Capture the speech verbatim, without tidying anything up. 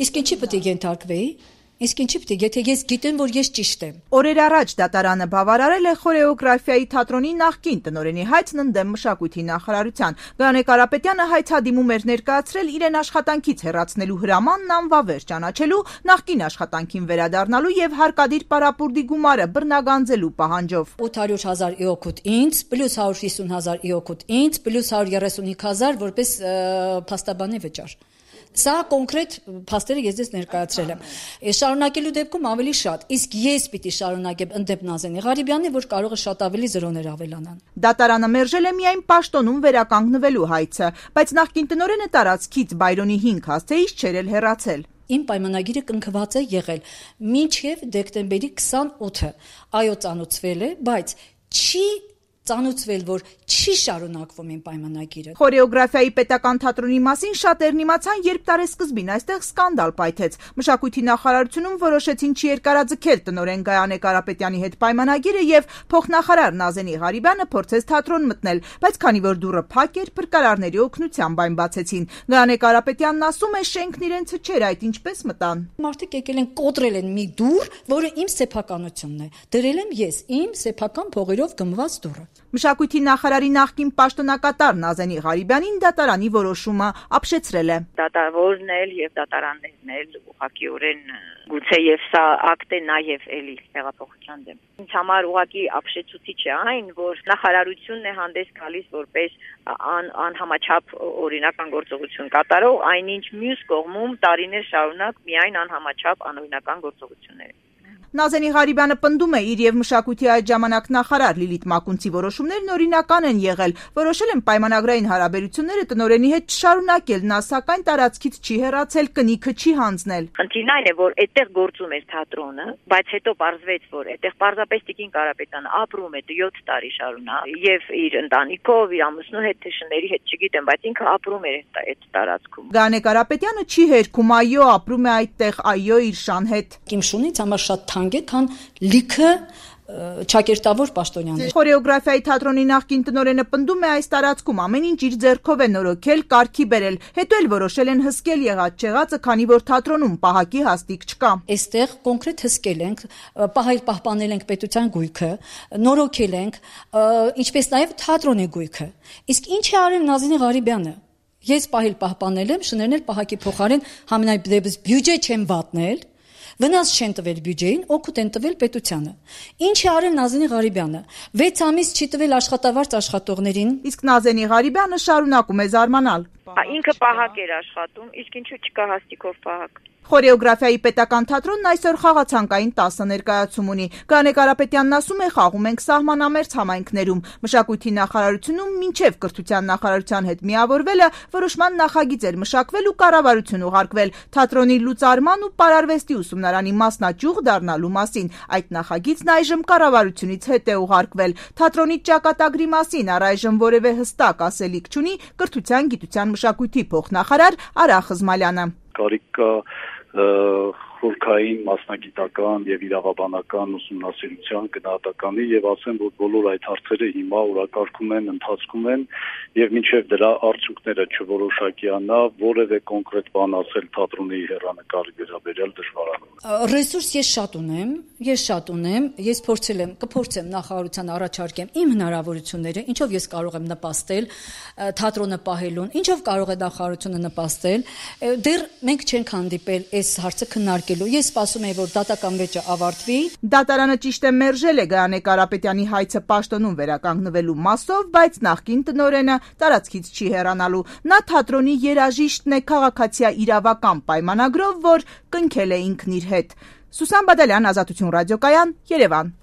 Իսկ ինչի պետք է ենթարկվեի։ Իսկ ինչի պետք է, եթե ես գիտեմ, որ ես ճիշտ եմ։ Օրեր առաջ դատարանը բավարարել է խորեոգրաֆիայի թատրոնի նախկին տնօրենի հայցն ընդդեմ մշակույթի նախարարության։ Գարանե Կարապետյանը հայցադիմում էր ներկայացրել իրեն աշխատանքից հեռացնելու հրամանն անվավեր ճանաչելու, նախկին աշխատանքին վերադառնալու եւ հարկադիր պարապուրդի գումարը բռնագանձելու պահանջով։ ութ հարյուր հազար իօքուտ ինձ, պլյուս հարյուր հիսուն հազար իօքուտ ինձ, պլյուս հարյուր երեսունհինգ հազար որպես փաստաբանի վճար։ Սա կոնկրետ փաստերը ես ձեզ ներկայացրել եմ։ Շարունակելու դեպքում ավելի շատ, իսկ ես պիտի շարունակեմ ընդդեմ Նազենի Ղարիբյանի, որ կարող է շատ ավելի զրոներ ավելանան։ Դատարանը մերժել է միայն պաշտոնում վերականգնվելու հայցը, բայց նախկին տնօրենը տարածքից Բայրոնի հինգ հասցեից չէր էլ հեռացել։ Իմ պայմանագիրը կնքված է եղել մինչև դեկտեմբերի քսանօթը։ Այո, ծանոթվել է, բայց չի ծանոթվել, որ չի շարունակվում իմ պայմանագիրը։ Խորեոգրաֆիայի պետական թատրոնի մասին շատերն իմացան, երբ տարեսկզբին այստեղ սկանդալ պայթեց։ Մշակույթի նախարարությունում որոշեցին չերկարաձգել տնօրեն Գայանե Կարապետյանի հետ պայմանագիրը եւ փոխնախարար Նազենի Ղարիբյանը փորձեց թատրոն մտնել, բայց քանի որ դուռը փակ էր, փրկարարների օգնությամբ այն բացեցին։ Գայանե Կարապետյանն ասում է, շենքն իրենցը չէր, այդ ինչպես մտան։ Մարդիկ եկել են կոտրել են մի դուռ, որը իմ սեփականությունն է։ Դրել եմ ես իմ սեփական փողերով գնված դուռը։ Մշակույթի նախարարի նախկին պաշտոնակատար Նազենի Ղարիբյանին դատարանի որոշումը ապշեցրել է։ Դատավորն էլ եւ դատարաններն էլ ուղղակիորեն գուցե եւ սա ակտ է նաեւ էլի հեղափոխության դեմ։ Ինձ համար ուղղակի ապշեցուցիչ է այն, որ նախարարությունն է հանդես գալիս որպես ան, անհամաչափ օրինական գործողություն կատարող, այնինչ մյուս կողմում տարիներ շարունակ միայն անհամաչափ անօրինական գործողություններ։ Նազենի Ղարիբյանը պնդում է իր եւ մշակույթի այդ ժամանակ նախարար Լիլիթ Մակունցի որոշումներն օրինական են եղել, որոշել են պայմանագրային հարաբերությունները տնօրենի հետ չշարունակել, նա սակայն տարածքից չի հեռացել, կնիքը չի հանձնել։ Խնդիրն այն է, որ այդտեղ գործում էր թատրոնը, բայց հետո պարզվեց, որ այդտեղ պարզապես Տիկին Կարապետյանը ապրում է յոթ տարի շարունակ եւ իր ընտանիքով, իր ամուսնու հետ, թշների հետ, չգիտեմ, բայց ինքը ապրում էր այդ տարածքում։ Գայանե Կարապետյանը չի հերքում, այո, ապրում է այդտեղ, այո, իր շան հետ։ Իմ շունից համար շատ քան լիքը ճակերտավոր պաշտոնյաներ։ Խորեոգրաֆիայի թատրոնի նախկին տնօրենը պնդում է այս տարածքում ամեն ինչ իր ձեռքով է նորոգել, կարգի բերել, հետո էլ որոշել են հսկել եղած չեղածը, քանի որ թատրոնում պահակի հաստիկ չկա։ Այստեղ կոնկրետ հսկել ենք, պահել պահպանել ենք պետության գույքը, նորոգել ենք, ինչպես նաև թատրոնի գույքը։ Իսկ ինչ է արել Նազենի Ղարիբյանը։ Ես պահել պահպանել եմ, շներնել պահակի փոխարեն համենայնդեպս բյուջե չեմ վատնել։ Վնաս չեն տվել բյուջեին, օգուտ են տվել պետությանը։ Ինչ է արել Նազենի Ղարիբյանը։ վեց ամիս չի տվել աշխատավարձ աշխատողներին։ Իսկ Նազենի Ղարիբյանը շարունակում է զարմանալ։ Ինքը պահակ էր աշխատում, իսկ ինչու չկա հաստիկով պահակ։ Խորեոգրաֆիայի պետական թատրոնն այսօր խաղացանկային տասը ներկայացում ունի։ Գայանե Կարապետյանն ասում է, խաղում ենք սահմանամերձ համայնքներում։ Մշակույթի նախարարությունում մինչև կրթության նախարարության հետ միավորվելը որոշման նախագիծ էր մշակվել ու կառավարություն ուղարկվել թատրոնի լուծարման ու պարարվեստի ուսումնարանի մասնաճյուղ դառնալու մասին։ Այդ նախագիծն այժմ կառավարությունից հետ է ուղարկվել։ Թատրոնի ճակատագրի մասին առայժմ որևէ հստակ ասելիք չունի կրթության, գիտության, մշակույթի փոխնախարար Արա Խզմալյանը։ Կարիք կա խորքային մասնագիտական եւ իրավաբանական ուսումնասիրության գնահատականի եւ ասեմ, որ բոլոր այդ հարցերը հիմա օրակարգում են, ընթացքում են եւ մինչեւ դրա արդյունքները չորոշակիանա, որևէ կոնկրետ բան ասել թատրոնի հեռանկարի վերաբերյալ դժվարանում է։ Ռեսուրս ես շատ ունեմ, ես շատ ունեմ, ես փորձել եմ, կփորձեմ նախարարության առաջարկեմ իմ հնարավորությունները, ինչով ես կարող եմ նպաստել թատրոնը պահելուն, ինչով կարող է նախարարությունը նպաստել։ Դեռ մենք չենք հանդիպել այս հարցը քննարկել։ Ես սպասում եմ, որ դատական վեճը ավարտվի։ Դատարանը ճիշտ է մերժել է Գայանե Կարապետյանի հայցը պաշտոնում վերականգնվելու մասով, բայց նախկին տնօրենը տարածքից չի հեռանալու։ Նա թատրոնի երաժիշտն է քաղաքացիա իրավական պայմանագրով, որ կնքել է ինքն իր հետ։ Սուսան Բադալյան, Ազատություն ռադիոկայան, Երևան։